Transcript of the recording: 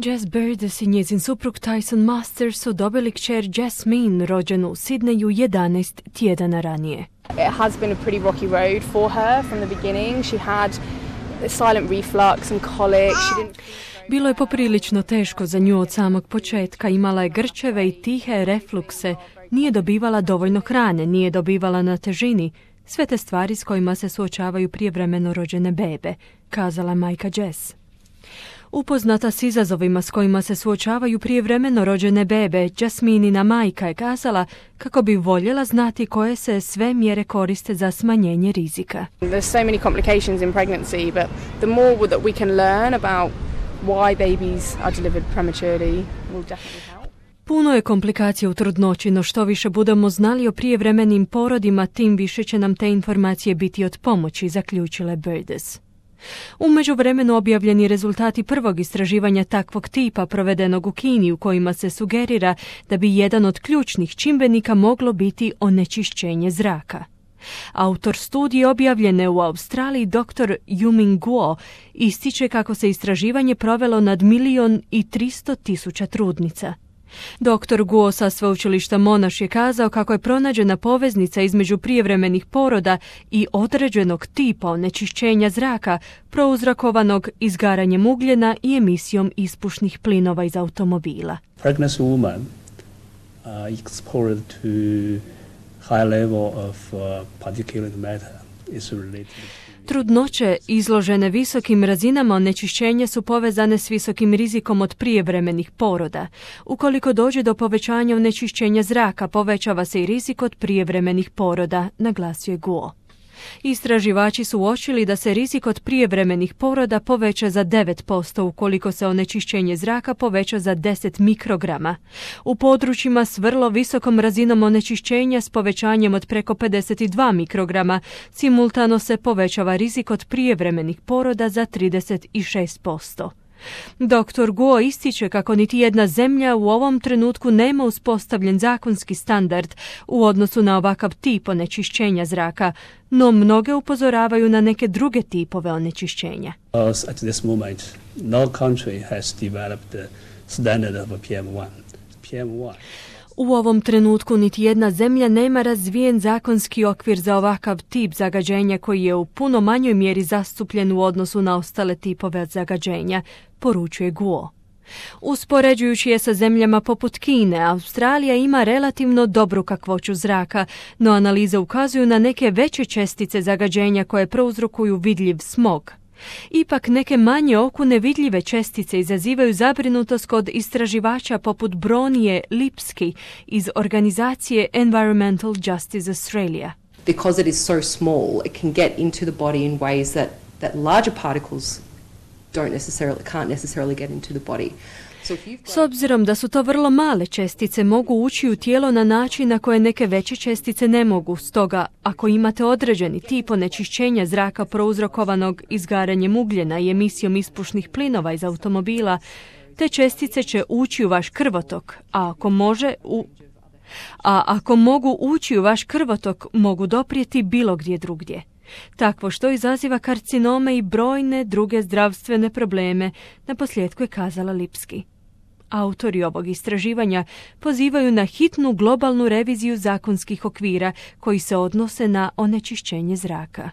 Jess Birdes i njezin suprug Tyson Masters su dobili kćer Jasmine, rođenu u Sidneju 11 tjedana ranije. It has been a pretty rocky road for her from the beginning. She had silent reflux and colic. Bilo je poprilično teško za nju od samog početka. Imala je grčeve i tihe reflukse. Nije dobivala dovoljno hrane, nije dobivala na težini. Sve te stvari s kojima se suočavaju prijevremeno rođene bebe, kazala majka Jess. Upoznata s izazovima s kojima se suočavaju prijevremeno rođene bebe, Jasminina majka je kazala kako bi voljela znati koje se sve mjere koriste za smanjenje rizika. There's so many complications in pregnancy, but the more that we can learn about why babies are delivered prematurely will definitely help. Puno je komplikacija u trudnoći, no što više budemo znali o prijevremenim porodima, tim više će nam te informacije biti od pomoći, zaključile Birdes. U međuvremenu objavljeni rezultati prvog istraživanja takvog tipa provedenog u Kini, u kojima se sugerira da bi jedan od ključnih čimbenika moglo biti onečišćenje zraka. Autor studije objavljene u Australiji, dr. Yuming Guo, ističe kako se istraživanje provelo nad 1.300.000 trudnica. Dr. Guo sa sveučilišta Monash je kazao kako je pronađena poveznica između prijevremenih poroda i određenog tipa onečišćenja zraka prouzrokovanog izgaranjem ugljena i emisijom ispušnih plinova iz automobila. Pregnant woman exposed to high level of particulate matter is related. Trudnoće izložene visokim razinama onečišćenja su povezane s visokim rizikom od prijevremenih poroda. Ukoliko dođe do povećanja onečišćenja zraka, povećava se i rizik od prijevremenih poroda, naglasio je Guo. Istraživači su uočili da se rizik od prijevremenih poroda poveća za 9% ukoliko se onečišćenje zraka poveća za 10 mikrograma. U područjima s vrlo visokom razinom onečišćenja s povećanjem od preko 52 mikrograma simultano se povećava rizik od prijevremenih poroda za 36%. Dr. Guo ističe kako niti jedna zemlja u ovom trenutku nema uspostavljen zakonski standard u odnosu na ovakav tip onečišćenja zraka, no mnoge upozoravaju na neke druge tipove onečišćenja. At this moment, no country has developed the standard of PM1. PM1. U ovom trenutku niti jedna zemlja nema razvijen zakonski okvir za ovakav tip zagađenja koji je u puno manjoj mjeri zastupljen u odnosu na ostale tipove zagađenja, poručuje Guo. Uspoređujući je sa zemljama poput Kine, Australija ima relativno dobru kakvoću zraka, no analize ukazuju na neke veće čestice zagađenja koje prouzrokuju vidljiv smog. Ipak neke manje oku nevidljive čestice izazivaju zabrinutost kod istraživača poput Bronije Lipski iz organizacije Environmental Justice Australia. Because it is so small, it can get into the body in ways that larger particles can't necessarily get into the body. S obzirom da su to vrlo male čestice, mogu ući u tijelo na način na koje neke veće čestice ne mogu. Stoga, ako imate određeni tip onečišćenja zraka prouzrokovanog izgaranjem ugljena i emisijom ispušnih plinova iz automobila, te čestice će ući u vaš krvotok, a ako mogu ući u vaš krvotok, mogu doprijeti bilo gdje drugdje. Takvo što izaziva karcinome i brojne druge zdravstvene probleme, naposljetku je kazala Lipski. Autori ovog istraživanja pozivaju na hitnu globalnu reviziju zakonskih okvira koji se odnose na onečišćenje zraka.